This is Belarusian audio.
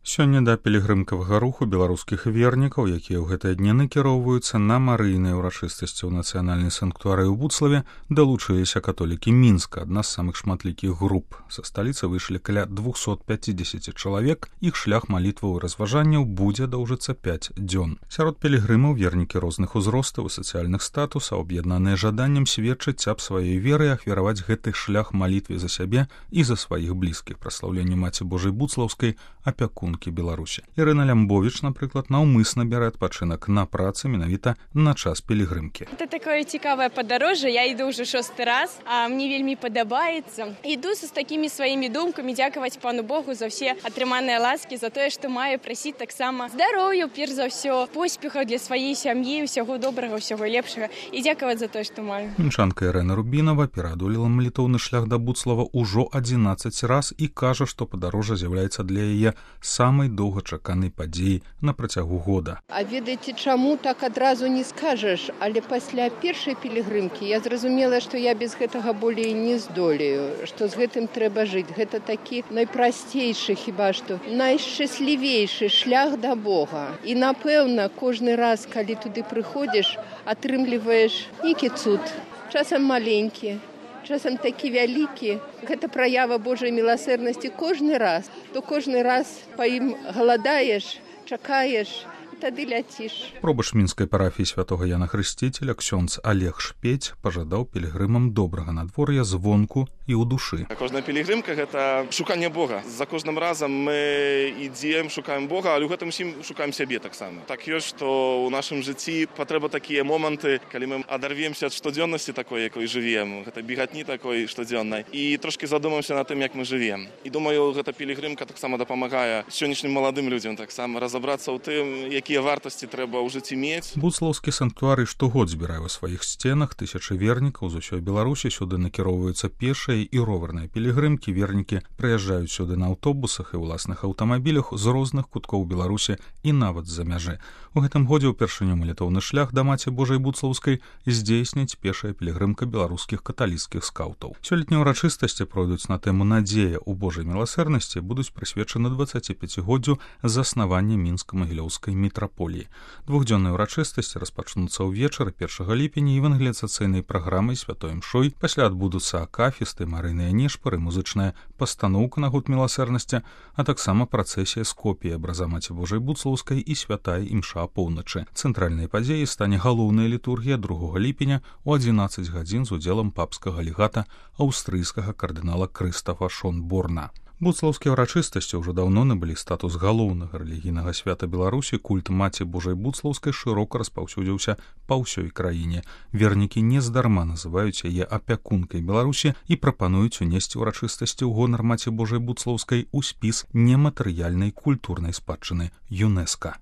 Сёння да пілігрымкавага руху беларускіх вернікаў, якія ў гэтыя дні накіроўваюцца на марыйныя ўрачыстасці ў нацыянальнай санктуарыі ў Буцлаве, далучыліся католікі Мінска, адна з самых шматлікіх груп. Са сталіцы выйшлі каля 250 чалавек, іх шлях малітваў і разважанняў будзе доўжыцца 5 дзён. Сярод пілігрымаў вернікі розных узростаў і сацыяльных статусаў, аб'яднаныя жаданнем сведчыць аб сваёй веры і ахвяраваць гэты шлях малітве за сябе і за сваіх блізкіх, праслаўленню Маці Божай Буцлаўскай, апякункі Беларусі. Ірына Лямбовіч, напрыклад, наўмысна бярэ адпачынак на працы менавіта на час пілігрымкі. Это такое цікавае падарожжа, я іду ўжо 6-й раз, а мне вельмі падабаецца. Іду з такімі сваімі думкамі дзякаваць Пану Богу за ўсе атрыманыя ласкі, за тое, што маю прасіць таксама здароўя, перш за ўсё, поспехаў для сваёй сям'і, ўсяго добрага, ўсяго лепшага і дзякаваць за тое, што маю. Мінчанка Ірына Рубінава пераадолела малітоўны шлях да Буцлава ўжо 11 раз і кажа, што падарожжа з'яўляецца для яе самай доўгачаканай падзеі на працягу года. А ведаеце, чаму так адразу не скажаш, але пасля першай пілігрымкі я зразумела, што я без гэтага болей не здолею, што з гэтым трэба жыць. Гэта такі найпрасцейшы, хіба што, найшчаслівейшы шлях да Бога. І, напэўна, кожны раз, калі туды прыходзіш, атрымліваеш нейкі цуд, часам маленькі, часам такі вялікі. Гэта праява Божай міласэрнасці кожны раз. То кожны раз па ім галадаеш, чакаеш, тады ляціш. Пробач мінскай парафіі святога Яна Хрысціцеля ксёндз Олег Шпець пажадаў пілігрымам добрага надвор'я звонку і ў душы. Кожная пілігрымка – гэта шуканне Бога. За кожным разам мы ідзем, шукаем Бога, але ў гэтым усім шукаем сябе таксама. Так ёсць, што ў нашым жыцці патрэба такія моманты, калі мы адарвемся ад штодзённасці такой, якой жывем, гэта бегатні такой штодзённай, і трошкі задумаемся над тым, як мы жывем. І думаю, гэта пілігрымка таксама дапамагае сённяшнім маладым людзям таксама разабрацца ў тым, якія вартасці трэба ў жыцці мець. Буцлаўскі санктуарый штогод збірае ў сваіх сценах тысячы вернікаў з усёй Беларусі. Сюды накіроўваюцца пешыя і роварныя пілігрымкі. Вернікі прыязджаюць сюды на аўтобусах і ўласных аўтамабілях з розных куткоў Беларусі і нават з-за мяжы. У гэтым годзе ўпершыню малітоўны шлях да Маці Божай Буцлаўскай здзейсніць пешая пілігрымка беларускіх каталіцкіх скаўтаў. Сёлетнія ўрачыстасці пройдуць на тэму «Надзея ў Божай міласэрнасці», будуць прысвечаны 25-годдзю заснавання мінска-магілёўскай мітраполіі. Двухдзённыя ўрачыстасці распачнуцца ўвечары 1 ліпеня евангеліяцыйнай праграмай святой імшой. Пасля адбудуцца акафісты, марыйныя нешпары, музычная пастаноўка на гуд міласэрнасці, а таксама працэсія з копіяй абраза Маці Божай Буцлаўскай і святая імша апоўначы. Цэнтральнай падзеяй стане галоўная літургія 2 ліпеня ў 11 гадзін з удзелам папскага легата аўстрыйскага кардынала Крыстафа Шонборна. Буцлаўскія ўрачыстасці ўжо даўно набылі статус галоўнага рэлігійнага свята Беларусі. Культ Маці Божай Буцлаўскай шырока распаўсюдзіўся па ўсёй краіне. Вернікі нездарма называюць яе апякункай Беларусі і прапануюць унесці ўрачыстасці ў гонар Маці Божай Буцлаўскай у спіс нематэрыяльнай культурнай спадчыны ЮНЕСКА.